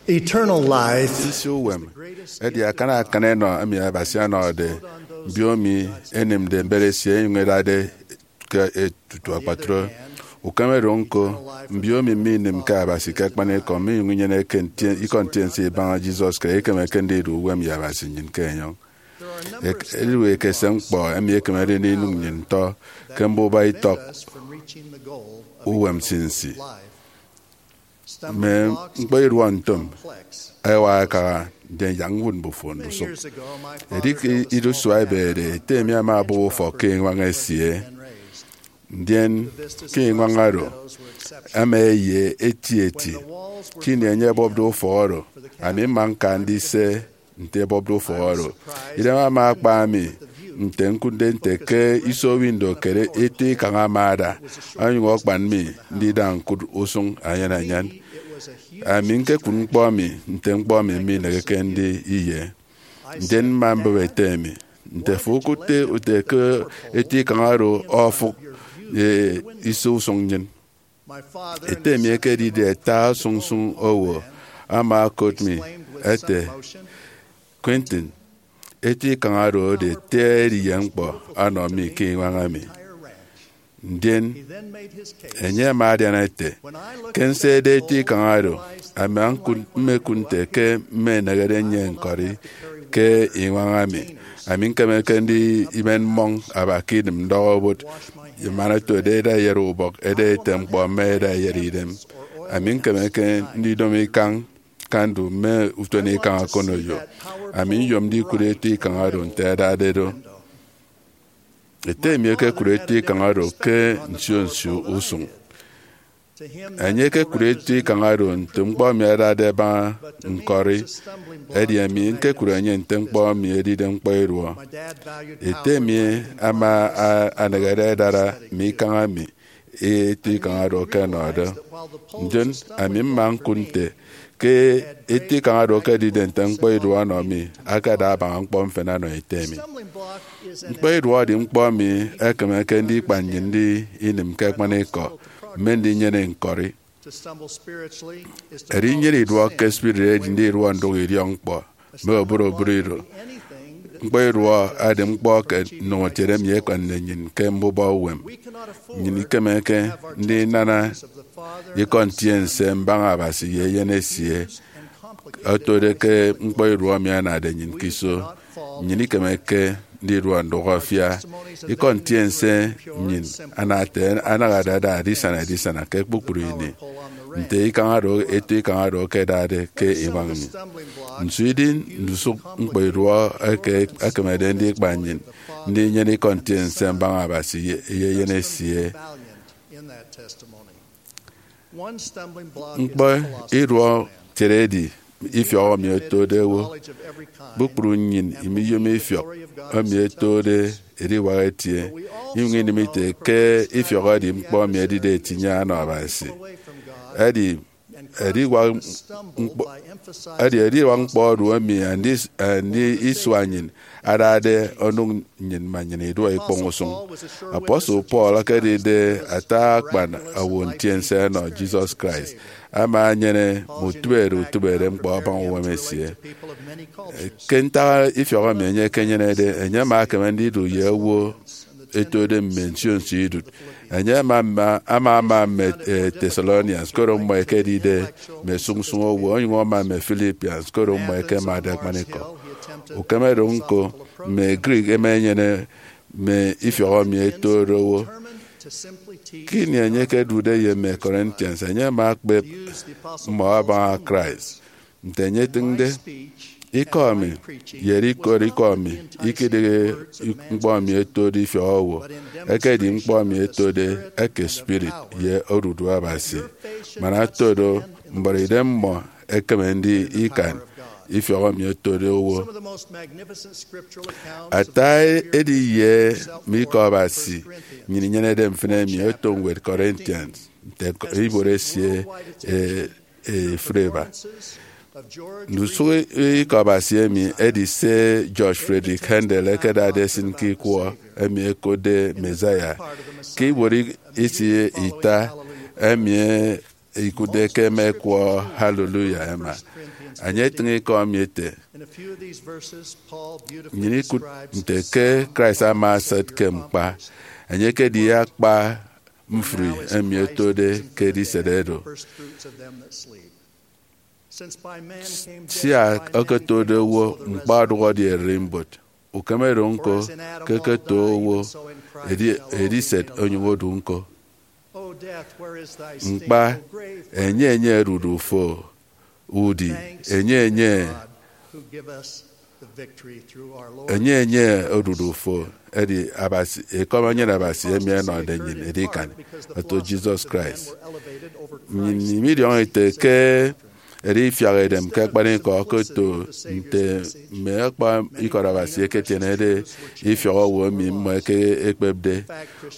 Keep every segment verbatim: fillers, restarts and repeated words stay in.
Eternal life. Nsinsi uwem edi akan akan enọ emi Abasi ọnọde mbiomi enịmde mbet esie enyụñ edade ke tutu akpatre. Ukem oro ñko, mbiomi minịm ke Abasi ke akpanikọ minyụñ inyene ke ntie- ikọ ntiense ibaña Jesus Christ ekemeke ndidu uwem ye Abasi nnyịn ke enyọñ. Ek- edidu ekese ñkpọ emi ekemede ndinụk nnyịn ntọ ke mbuba itọk uwem nsinsi. Mme ñkpọ iduọ ntom ẹwa ẹkaha, ndien yak ñwụt mbufo ndusụk. Edi ke ido isua ebeede, ete mi ama obụp ufọk ke iñwañ esie. Ndien ke iñwañ oro, ama eye eti eti. Ke ini enye ebọpde ufọk oro, ami mma ñka ndise nte ebọpde ufọk oro. Idem ama akpa mi nte ñkụtde nte ke iso window ke eto ikañ ama ada, onyụñ akpan mi ndida ñkụt usụñ anyan anyan. Ami ñkekụt ñkpọ mi nte ñkpọ mi mineheke ndi iye. Ndien mma mbụp ete mi nte, fo okụtde ute ke eto ikañ oro ofụk ye iso usụñ nnyịn? Ete mi ekedide ata sụñsụñ owo ama okot mi ete, Quentin, eto ikañ oro edi eti ediye ñkpọ ọnọ mi ke iñwañ emi. Ndien enye ama adian ete, ke nsede eto ikañ oro, ami ñkụt- mmekụt nte ke mmenehede nnyịn ñkọri ke iñwañ emi. Ami ñkemeke ndi imen mmọñ aba ke idịm ndọhọ owot, ye man otode eda eyet ubọk, eda ete ñkpọ, mme eda eyet idem. Ami ñkemeke ndidomo ikañ kandu mme utom ikañ akonoyo. Ami nyom ndikụt eto ikañ oro nte ẹdade do. Ete mi ekekụt eto ikañ oro ke nsio nsio usụñ. Enye ekekụt eto ikañ oro nte ñkpọ emi ẹdade ẹbaña ñkọri, edi ami ñkekụt enye nte ñkpọ emi edide ñkpọ iduọ. Ete mi ama a- anehede adara mme ikañ emi eto ikañ oro ẹkenọde. Ndien ami mma ñkụt nte ke eto ikañ oro ẹkedide nte ñkpọ iduọ ọnọ mi, akada abaña ñkpọ mfịna ọnọ ete mi. Ñkpọ iduọ edi ñkpọ emi ekemeke ndikpa nnyịn ndi inịm ke akpanikọ mme ndinyene ñkọri. Edinyene iduọk ke spirit edi ndiduọ ndụk idiọkñkpọ mme oburobụrụ ido. Ñkpọ iduọ edi ñkpọ ke nnụñetiede emi ekpañde nnyịn ke mbuba uwem. Nnyịn ikemeke ndinana ikọ ntiense mbaña Abasi ye Eyen esie otode ke ñkpọ iduọ emi anade nnyịn ke iso. Nnyịn ikemeke ndiduọ ndụk afia ikọ ntiense nnyịn anade, anahade ada edisana edisana ke kpukpru ini, nte ikañ oro, eto ikañ oro ẹkedade ke iñwañ mi. Nso idi ndusụk ñkpọ iduọ eke ekemede ndikpa nnyịn ndinyene ikọ ntiense mbaña Abasi ye, ye Eyen esie? Ñkpọ iduọ kiet edi ifiọk emi otode owo. Kpukpru nnyịn imiyom ifiọk emi otode ediwak etie, inyụñ inịm ite ke ifiọk edi ñkpọ emi edide etiñye ọnọ Abasi. Edi ediwak ñkpọ, edi ediwak ñkpọ odu emi andi, andi isua nnyịn adade onụk nnyịn ma nnyịn iduọ ikpọñ usụñ. Apostle Paul, ekedide ata akpan owo ntiense ọnọ Jesus Christ, ama enyene mme utịbeide utịbeide ñkpọ abaña uwem esie. Ke ntak ifiọk emi enye ekenyenede, enye ama ekeme ndidu ye owo etode mme nsio nsio idụt. Enye ama, ama, ama ama mme, eh, Thessalonians, koro mmọ ẹkedide mme sụñsụñ owo, onyụñ ama mme Philippians, koro mmọ ẹkemade akpanikọ. Ukem oro ñko, mme Greek ẹma ẹnyene mme ifiọk emi ẹtode owo. Ke ini enye ekedude ye mme Corinthians, enye ama ekpep mmọ abaña Christ. Nte enye etịñde, ikọ mi ye ikot ikọ mi ikedịghe ñkpọ emi ẹtode ifiọk owo, ekedi ñkpọ emi ẹtode eke spirit ye odudu Abasi. Man ẹto do, mbuọtidem mmọ ekeme ndi ikan ifiọk emi ẹtode owo. Ata ediye mme ikọ Abasi nnyịn inyenede mfịna emi oto ñwed Corinthians nte ibuot esie, e, efriba. Ndusụk ikọ Abasi emi edi se George Frederick Handel ekedade esịn ke ikwọ emi ẹkotde Messiah. Ke ibuot isi ita emi, e, ikụtde ke ẹma ẹkwọ Hallelujah ẹma. Enye etịñ ikọ emi ete, nnyịn ikụt nte ke Christ ama asat ke ñkpa, enye ekedi akpa mfri emi otode ke ediset oro. Sia okotode owo, ñkpa ọdụhọde ererimbot, ukeme do ñko ke eketo owo, edi ediset onyụñ odu ñko. Ñkpa, enye enye odudu fo, udi, enye enye, enye enye odudu fo, edi Abasi, ekọm enyịn Abasi emi ẹnọde nnyịn edikan, oto Jesus Christ. Nnyịn midiọñọ ete ke edi ifiak edem ke akpanikọ okoto nte mme akpa ikọt Abasi ẹketienede ifiọk owo emi mmọ ẹkekpepde,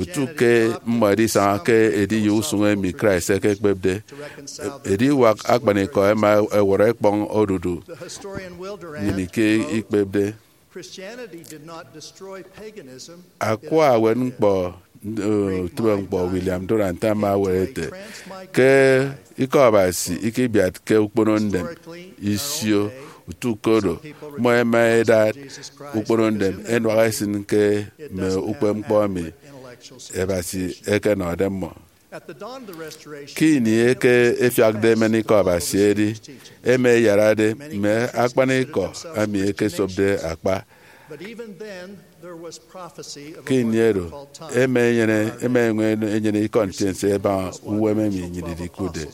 utu ke mmọ ẹdisaña ke ediye usụñ emi Christ ekekpepde. Ediwak akpanikọ ẹma ẹwọrọ ẹkpọñ odudu nnyịn ke ikpepde. Akwa ewet ñkpọ, uh, utịbeñkpọ William Durant ama ewet ete ke Ikọ Abasi ikibiatke ukpono ndem isio, utu ke oro, mmọ ẹma ẹdat ukpono ndem ẹnuak ẹsịn ke mme ukpepñkpọ emi Abasi ekenọde mmọ. Ke ini eke efiakde emen Ikọ Abasi edi, ẹma ẹyarade mme akpanikọ emi ẹkesopde akpa. Ke ini oro, ẹma ẹnyene, ẹma ẹnyụñ ẹnyene ikọ ntiense ẹbaña uwem emi nnyịn idikụtde.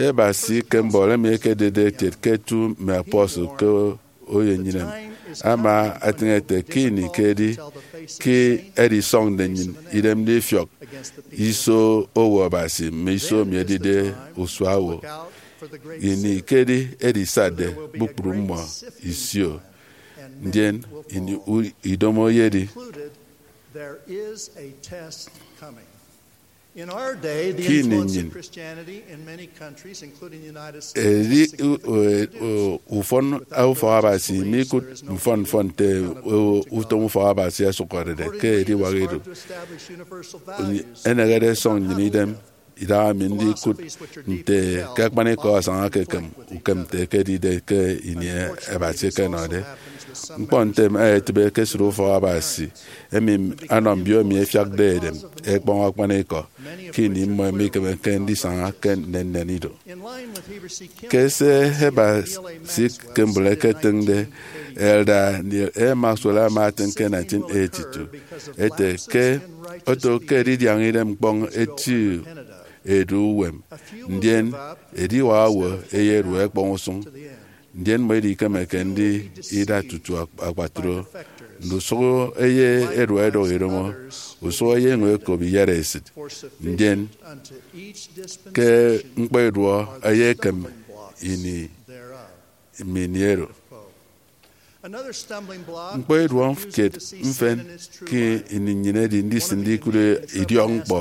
Abasi ke mbọhọ emi ekedide kiet ke eto mme apostle ke oyo nnyịn ama atịñ ete ke ini ke edi ke edisọñde nnyịn idem ndifiọk iso owo Abasi mme iso emi edide usua owo. Ini ke edi edisatde kpukpru mmọ isio, ndien ini u-, idomo eyedi. Ke ini nnyịn edi u-, u-, u-, ufọn ufọk Abasi mikụt mfọn mfọn nte u-, utom ufọk Abasi ẹsụhọrede ke ediwak ido. Enehede ẹsọñ nnyịn idem idaha mi ndikụt nte ke akpanikọ asaña ke ekem ukem nte ekedide ke ini Abasi ekenọde. Ñkpọ ntem ẹyetịbe ke esịt ufọk Abasi emi anọ mbiomi ẹfiakde edem ẹkpọñ akpanikọ ke ini mmọ mikemeke ndisaña ke nnennen ido. Ke se Abasi Kimball eketịñde, Elder Neal A. Maxwell ama etịñ ke nineteen eighty-two ete ke oto ke edidiaña idem ñkpọñ eti edu uwem, ndien ediwak owo ẹyedu ẹkpọñ usụñ, ndien mmọ idikemeke ndida tutu ak-, akpatre. Ndusụk eye ẹdụk ẹdọk idomo, usụk eye enyụñ ẹkop iyatesịt, ndien ke ñkpọ iduọ eye ekem ini mme ini oro. Ñkpọ iduọ kiet mfịn ke ini nnyịn edi ndisịnde ikụt idiọkñkpọ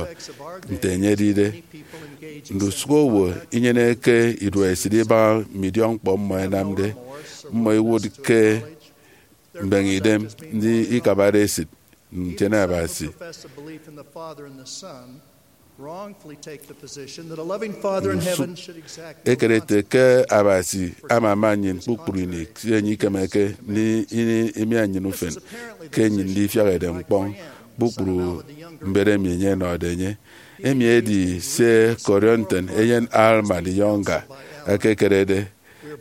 nte enye edide. Ndusụk owo inyeneke iduọ esịt ibaña mme idiọkñkpọ mmọ ẹnamde. Mmọ iwụt ke mbeñe idem ndi ikabade esịt ntiene Abasi. Ekere ete ke Abasi amama nnyịn kpukpru ini, ke enye ikemeke ini imiañ nnyịn ufen ke nnyịn ndifiak edem ñkpọñ kpukpru mbet emi enye ọnọde enye. Emi edi se Corianton eyen Alma the Younger ekekerede.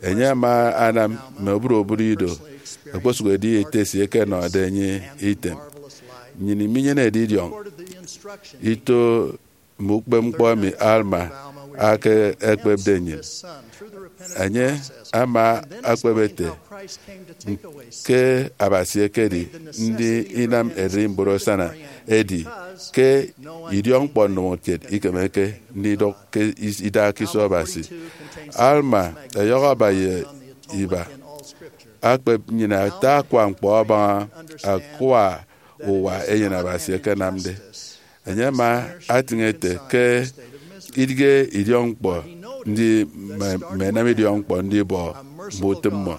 Enye ama anam mme oburobụt ido okposụkedi ete esie ẹkenọde enye item. Nnyịn iminyenede idiọñ ito mme ukpepñkpọ emi Alma ake ekpepde nnyịn. Enye ama ekpep ete ke Abasi ekedi ndi inam ererimbot asana, edi ke idiọkñkpọ ndomokiet ikemeke ndidụk ke is-, idak ke iso Abasi. Alma ọyọhọ aba ye iba akpep nnyịn ata akwa ñkpọ abaña akwa uwa eyen Abasi ẹkenamde. Enye ama atịñ ete ke idịghe idiọkñkpọ ndi mme, mme ẹnam idiọkñkpọ ndibọ mme utịm mmọ.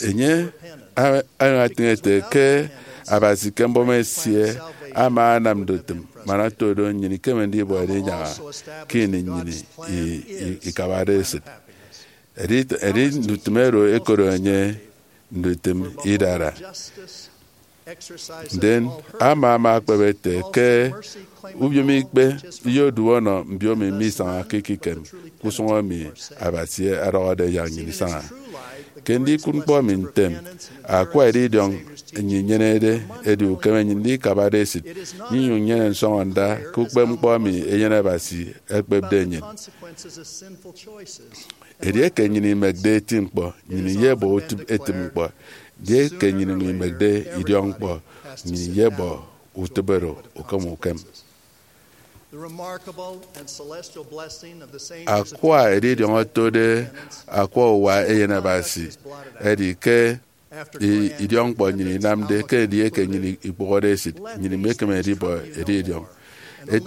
Enye añwatịñ ete ke Abasi ke mbọm esie ama anam ndutịm man oto do nnyịn ikeme ndibọ edinyaña ke ini nnyịn i- i- ikabade esịt. Edi, edi ndutịm oro ẹkoro enye ndutịm idara. Ndien ama ama akpep ete ke ubiomikpe iyodu ọnọ mbiomi misañake ekikem ke usụñ emi Abasi ọdọhọde yak nnyịn isaña. Ke ndikụt ñkpọ emi ntem, akwa edidiọñ nnyịn inyenede edi ukem nnyịn ndikabade esịt, nnyụñ nnyene nsọñọnda ke ukpepñkpọ emi Eyen Abasi ekpepde nnyịn. Edieke nnyịn imekde eti ñkpọ, nnyịn iyebọ utịp etịm ñkpọ. Edieke nnyịn imekde idiọk ñkpọ, nnyịn iyebọ utịp oro ukem ukem. Akwa edidiọñ otode akwa uwa Eyen Abasi edi ke i- idiọk ñkpọ nnyịn inamde ke edieke nnyịn ikpụhọde esịt, nnyịn imekeme ndibọ edidiọñ. Et-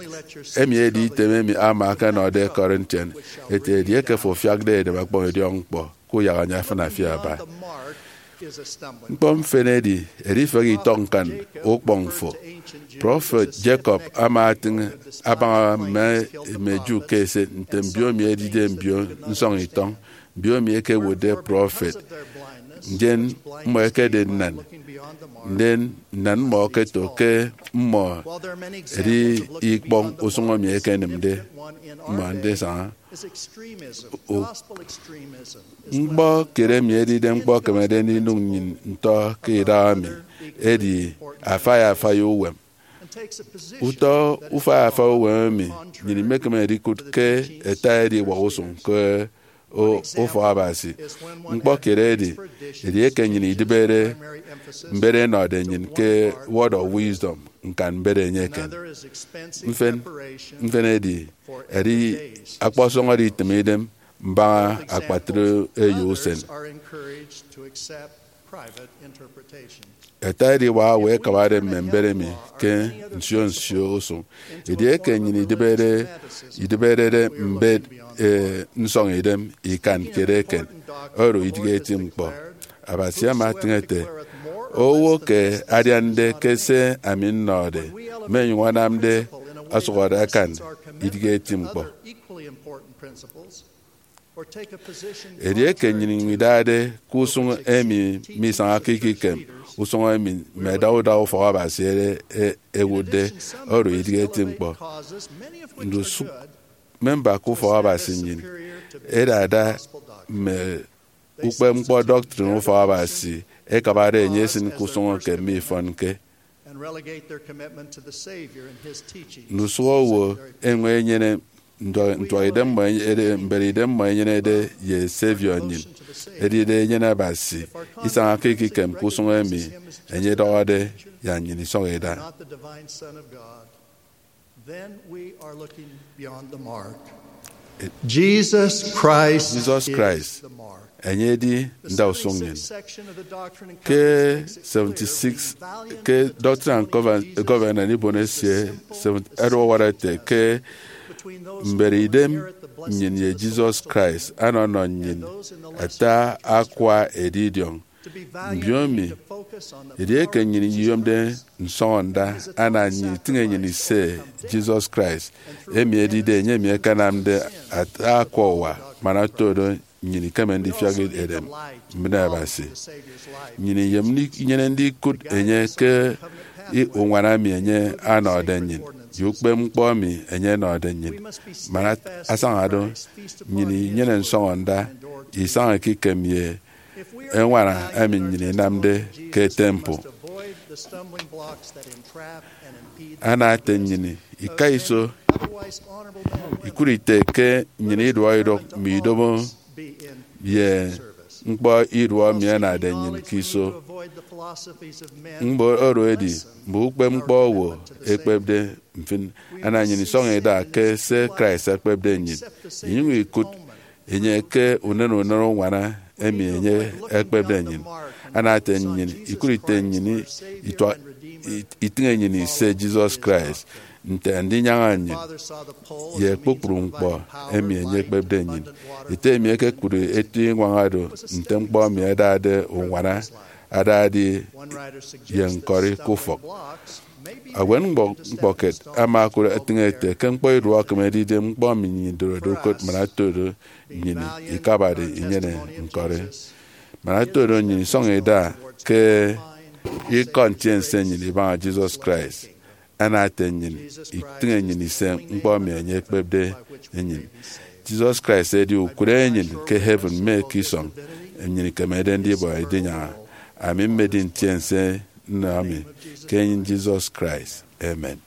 emi edi item emi ama akanọde Corinthian ete, edieke fo afiakde edem ọkpọñ idiọk ñkpọ, kuyak enye afịna fi aba. Ñkpọ mfịn edi edifehe itọk ñkan ukpọñ fo. Prọfet Jacob ama atịñ abaña mme mme Jew ke ese nte mbiomi ẹdide mbio nsọñitọñ, mbiomi ẹkewotde prọfet, ndien mmọ ẹkedi nnan, ndien nnan mmọ okoto ke mmọ ẹdi ikpọñ usụñ emi ẹkenịmde mmọ ndisaña. Ñkpọ kiet emi edide ñkpọ ekemede ndinụñ nnyịn ntọ ke idaha emi edi afai afai uwem. Utọ ufai afai uwem emi nnyịn imekeme ndikụt ke ẹta ediwak usụñ ke ufọk Abasi. Ñkpọ kiet edi edieke nnyịn idịbede mbet ẹnọde nnyịn ke Word of Wisdom, ñkan mbet enye eken. Mfen mfen edi edi akpọsọñọde itịm idem mbaña akpatre eyo usen. Ẹta ediwak owo ẹkabade mme mbet emi ke nsio nsio usụñ. Edieke nnyịn idịbede idịbedede mbet e, nsọñ idem ikan kiet eken, oro idịghe eti ñkpọ. Abasi ama atịñ ete, owo ke adiande ke se ami nnọde, mme nyụñ anamde ọsụhọde akan, idịghe eti ñkpọ. Edieke nnyịn idade ke usụñ emi misañake ekikem, usụñ emi mme ẹda uda ufọk Abasi ere e- ewụtde, oro idịghe eti ñkpọ. Ndusụk memba ke ufọk Abasi nnyịn ẹdada mme ukpepñkpọ doctrine ufọk Abasi ẹkabade enye esịn ke usụñ eke mifọnke. Ndusụk owo ẹnyụñ ẹnyene ntuaidem mmọ ẹnyenede ye Savior nnyịn, edide Eyen Abasi, isañake ekikem ke usụñ emi enye ọdọhọde yak nnyịn isọñ ida. Jesus Christ, Jesus Christ, enye edi ndausụñ nnyịn. Ke seventy-six, ke Doctrine and Coven- Covenant ibon esie, ẹdọhọ ete ke mbet idem nnyịn ye Jesus Christ anọnọ nnyịn ata akwa edidiọñ. Mbiomi, edieke nnyịn iyomde nsọñọnda, ana nnyịn itịñ enyịn ise Jesus Christ, emi edide enye emi akanamde ata akwa uwa man oto do nnyịn ikeme ndifiak edem mbịne Abasi. Nnyịn iyom inyene ndikụt enye ke i- uñwana emi enye ọnọde nnyịn, ye ukpepñkpọ emi enye ọnọde nnyịn. Man asaña do, nnyịn inyene nsọñọnda isaña ekikem ye eñwana emi nnyịn inamde ke temple. Ana ete nnyịn ika iso ikụt ite ke nnyịn iduọk idụk mme idomo ye ñkpọ iduọ emi ẹnade nnyịn ke iso. Ñkpọ oro edi mme ukpepñkpọ owo ẹkpepde. Mfịn, ana nnyịn isọñ ida ke se Christ ekpepde nnyịn, inyụñ ikụt enye ke unen unen uñwana emi enye ekpepde nnyịn. Ana ete nnyịn ikụt ite nnyịn itua- itịñ enyịn ise Jesus Christ, nte ndinyaña nnyịn ye kpukpru ñkpọ emi enye ekpepde nnyịn. Ete emi ekekụt eti iñwaña do nte ñkpọ emi adade uñwana, adade ye ñkọri ke ufọk. Ewe ñkpọ-, ñkpọkiet ama okụt etịñ ete ke ñkpọ iduọ ekeme ndidi ñkpọ emi nnyịn idorode ukot man oto do nnyịn ikabade inyene ñkọri? Man oto do nnyịn isọñ ida ke Ikọ Ntiense nnyịn ibaña Jesus Christ, ana ete nnyịn itịñ nnyịn ise ñkpọ emi enye ekpepde nnyịn. Jesus Christ edi ukụre nnyịn ke heaven mme ke isọñ nnyịn ikemede ndibọ edinyaña. Ami mmedi ntiense nnọ emi ke enyịn Jesus Christ. Amen.